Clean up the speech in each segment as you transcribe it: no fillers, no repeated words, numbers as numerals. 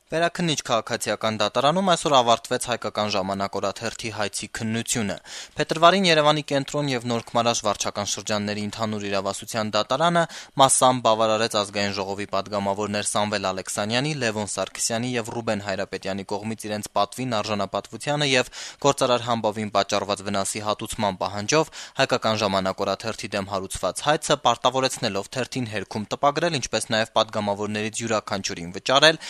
Վերաքննիչ քաղաքացիական դատարանում այսօր ավարտվեց հայկական ժամանակ օրաթերթի հայցի քննությունը։ Փետրվարին Երևանի կենտրոն եւ Նորք-Մարաշ վարչական շրջանների ընդհանուր իրավասության դատարանը մասամբ բավարարեց ազգային ժողովի պատգամավորներ Սամվել Ալեքսանյանի, Լևոն Սարգսյանի եւ Ռուբեն Հայրապետյանի կողմից իրենց պատվին, արժանապատվությանը եւ գործարար համբավին պատճառված վնասի հատուցման պահանջով հայկական ժամանակ օրաթերթի դեմ հարուցված հայցը պարտավորեցնելով թերթին հերքում տպագրել, ինչպես նաեւ պատգամավորներից յուրաքանչյուրին վճարել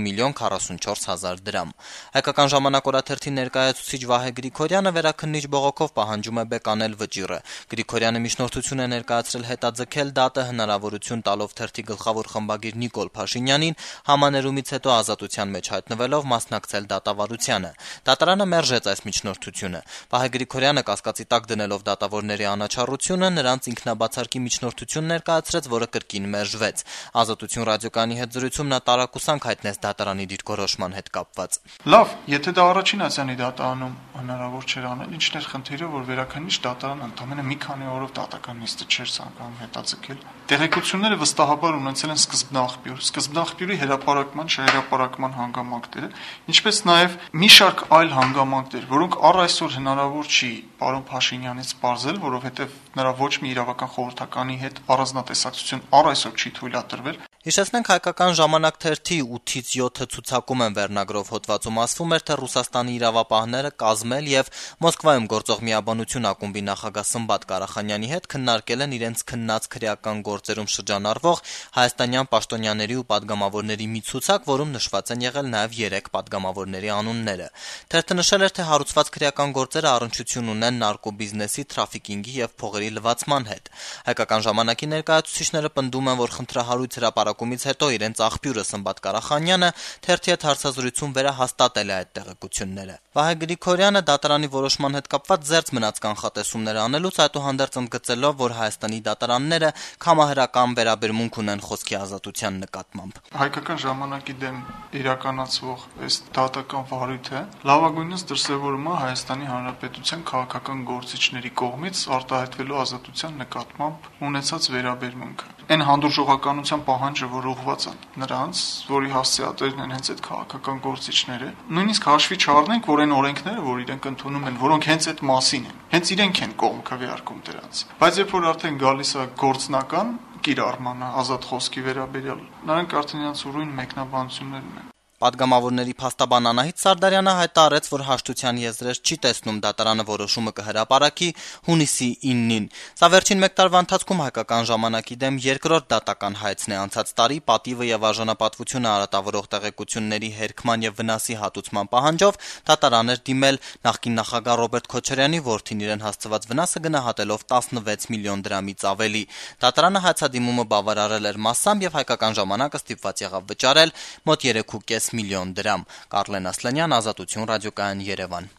2,44,000 դրամ։ Հայկական ժամանակ օրաթերթի ներկայացուցիչ Վահե Գրիգորյանը վերաքննիչ բողոքով պահանջում է բեկանել վճիռը։ Գրիգորյանը միջնորդություն է ներկայացրել հետաձգել դատը, հնարավորություն տալով թերթի գլխավոր խմբագիր Նիկոլ Փաշինյանին համաներումից հետո ազատության մեջ հայտնվելով մասնակցել դատավարությանը։ Դատարանը մերժեց այս միջնորդությունը։ Վահե Գրիգորյանը կասկածի տակ դնելով դատավորների անաչառությունը, նրանց ինքնաբացարկի միջնորդություն ներկայացրեց, որը կրկին մերժվեց։ Ազատություն ռադիոկայանի հետ զրույցում նա տարակուսանք հայտնեց դատարանի դիրքորոշման հետ կապված։ Լավ, եթե դա առաջին ասյանի դատարանում հնարավոր չէր անել, ինչն էր խնդիրը, որ վերաքննիչ դատարանը ընդամենը մի քանի օրով դատական նիստը չէր ցանկանում հետաձգել։ Տեղեկությունները վստահաբար ունեցել են սկզբնաղբյուրի հրապարակման, չհրապարակման հանգամանքները, ինչպես նաև մի շարք այլ հանգամանքներ, որոնք առ այսօր հնարավոր չի պարոն Փաշինյանից պարզել, որովհետև նրա ոչ մի իրավական խորհրդականի հետ առանձնատեսակցություն առ այսօր չի թույլատրվել։ Հիշեցնենք հայկական ժամանակ թերթի 8-ից 7 ցուցակում են վերնագրով հոդվածում ասվում էր, թե Ռուսաստանի իրավապահները կազմել եւ Մոսկվայում գործող Միաբանություն ակումբի նախագահ Սմբատ Կարախանյանի հետ քննարկել են իրենց քննած քրեական գործերում շրջանառվող հայաստանյան պաշտոնյաների ու падգամավորների մի ցուցակ, որում նշված են եղել նաեւ 3 падգամավորների անունները։ Թերթը նշել էր, թե հարուցված քրեական գործերը առնչություն ունեն նարկոբիզնեսի, թրաֆիկինգի եւ փողերի լվացման հետ։ Հայկական ժամանակի ներկայացուցիչները պնդում են, որ խնդրահարույց հրապարակումից հետո իրենց աղբյուրը Սմբատ Կարախանյանը թերթի հետ հարցազրույցում վերահաստատել է այդ տեղեկությունները։ Վահե Գրիգորյանը դատարանի որոշման հետ կապված զերծ մնաց կանխատեսումներ անելուց, այդուհանդերձ ընդգծելով, որ Հայաստանի դատարանները կամահերական վերաբերմունք ունեն խոսքի ազատության նկատմամբ։ Հայկական ժամանակի դեմ իրականացվող այս դատական վարույթը լավագույնս դրսևորում է Հայաստանի Հանրապետության քաղաքական գործիչների կողմից արտահայտվելու ազատության նկատմամբ ունեցած վերաբերմունքը։ Այն հանդուրժողականության պահանջը, որ ուղղված է նրանց, որի հասցեատերն են հենց այդ քաղաքական գործիչները, նույնիսկ հաշվի չառնենք, որ այն օրենքները, որ իրենք ընդունում են, որոնք հենց այդ մասին են, հենց իրենք են կողմ քվեարկում դրանց։ Բայց երբ որ արդեն գալիս է գործնական կիրառմանը ազատ խոսքի վերաբերյալ, նրանք արդեն իրենց ուրույն մեկնաբանություններն են։ Պատգամավորների փաստաբան Անահիտ Սարդարյանը հայտարարեց, որ հաշտության եզրեր չի տեսնում դատարանը որոշումը կհրապարակի հունիսի 9-ին։ Սա վերջին մեկ տարվա ընթացքում հայկական ժամանակի դեմ երկրորդ դատական հայցն է։ Անցած տարի պատիվը եւ արժանապատվությունը արատավորող տեղեկությունների հերքման եւ վնասի հատուցման պահանջով դատարան էր դիմել նախկին նախագահ Ռոբերտ Քոչարյանի որդին իրեն հասցված վնասը գնահատելով 16 միլիոն դրամից ավելի։ Դատարանը հայցադիմումը բավարարել էր մասամբ եւ հայկական ժամանակը ստիպված եղավ վճարել մոտ 3.5 միլիոն դրամ։ Կարլեն Ասլանյան, Ազատություն ռադիոկայան, Երևան։